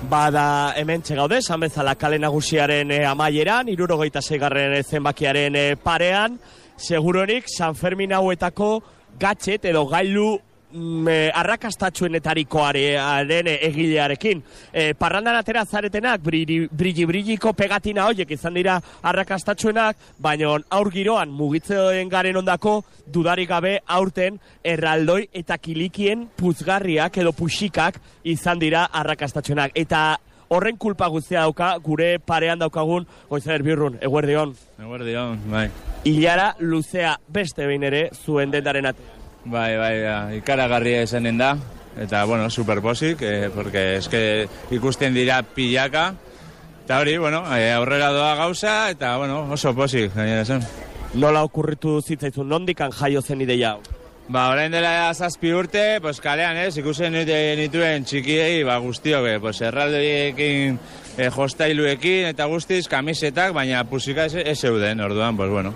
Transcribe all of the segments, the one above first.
Bada hemen txegaude, esan bezala kale nagusiaren amaieran, 76. zenbakiaren parean, seguronik San Fermin hauetako gatxet edo gailu arrakastatxuenetarikoaren egilearekin. Parrandan atera zaretenak, brilliko pegatina horiek izan dira arrakastatxuenak, baina aur giroan mugitzen garen ondako dudarik gabe aurten erraldoi eta kilikien puzgarriak edo puxikak izan dira arrakastatxuenak. Eta horren kulpa guztia dauka gure parean daukagun Goizer Birrun, eguerdion. Eguerdion, bai. Ilara luzea beste behin ere zuen dendaren atea. Bai, ikaragarria esanen da, eta, bueno, superposik, porque eske ikusten dira pilaka, eta hori, bueno, aurrera doa gauza, eta, bueno, oso posik, gainera esan. Nola okurritu zitzaizun, nondikan jaio zen ideia hau? Orain dela 7 urte, pues kalean, ikusten nituen txikiei, guztiok, pues erraldoiekin, jostailuekin, eta guztiz, kamisetak, baina pusika ez zeuden, orduan, pues, bueno,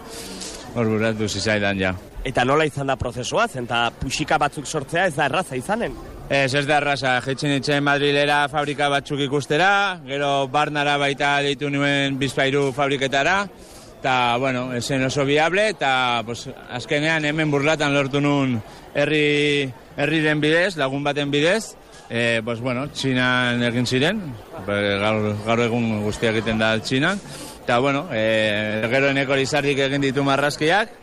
hor buratu zizaidan ja. Eta nola izan da prozesua, zenta puxika batzuk sortzea ez da erraza izanen? Ez da erraza, jeitzen itzen Madrilera fabrika batzuk ikustera, gero Barnara baita deitu nuen Bizpairu fabriketara, eta, bueno, esen oso viable, eta, pues, azkenean hemen burlatan lortu nun herriren bidez, lagun baten bidez, pues, bueno, Txinan egin ziren, gaur egun guztiak egiten da Txinan, eta, bueno, gero eneko Lizardik egin ditu marrazkiak,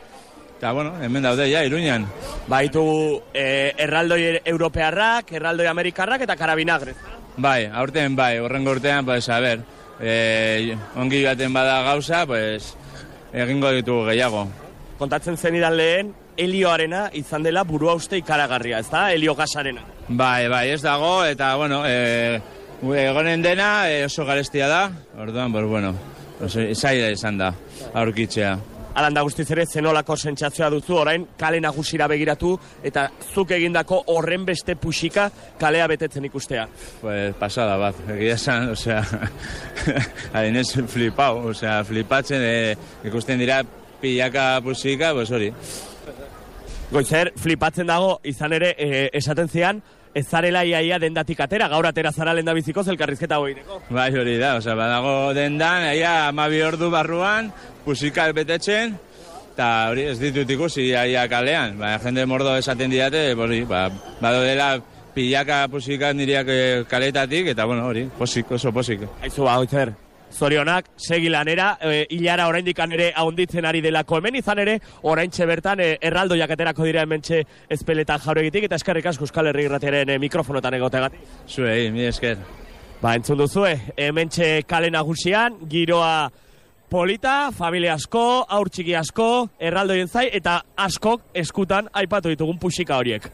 eta, bueno, hemen daude, ja, Iruñan. Baitu erraldoi europearrak, erraldoi amerikarrak eta karabinagre. Bai, aurten bai, horrengo urtean, pues, a ber, ongi baten bada gauza, pues, egingo ditugu gehiago. Kontatzen zenidan lehen, helioarena izan dela burua uste ikaragarria, ez da? Helio gasarena. Bai, ez dago, eta, bueno, egonen dena oso garestia da, orduan, pues, bueno, zaila izan da, aurkitzea. Alanda guztiz ere, zenolako sentsazioa duzu, orain kale nagusira begiratu, eta zuk egindako horren beste puxika kalea betetzen ikustea. Pues pasada bat, egia esan, osea, harinez flipau, osea, flipatzen, ikusten dira pilaka puxika, pues hori. Goizer, flipatzen dago, izan ere, esaten zian, ez zarela iaia dendatik atera, gaur atera zara lendabiziko zelkarrizketa goireko. Bai, hori da, osea, badago dendan, 12 ordu barruan, pusika betetzen, eta hori ez ditut ikusi iaia kalean. Jende mordo esaten didate, hori, bado dela pilaka pusika niriak kaletatik, eta bueno, hori, posik, oso posik. Aizu, Goizer, zorionak, segi lanera, hilara oraindik ere ahonditzen ari delako hemen, izan ere, oraintxe bertan erraldoiak aterako dira hementxe ezpeletan jauregitik, eta eskerrik asko Euskal Herri Irratiaren mikrofonotan egotegatik. Zuei, mi esker. Entzun duzue, hementxe kale nagusian, giroa polita, familia asko, aur txiki asko, erraldoien zai, eta askok eskutan aipatu ditugun puxika horiek.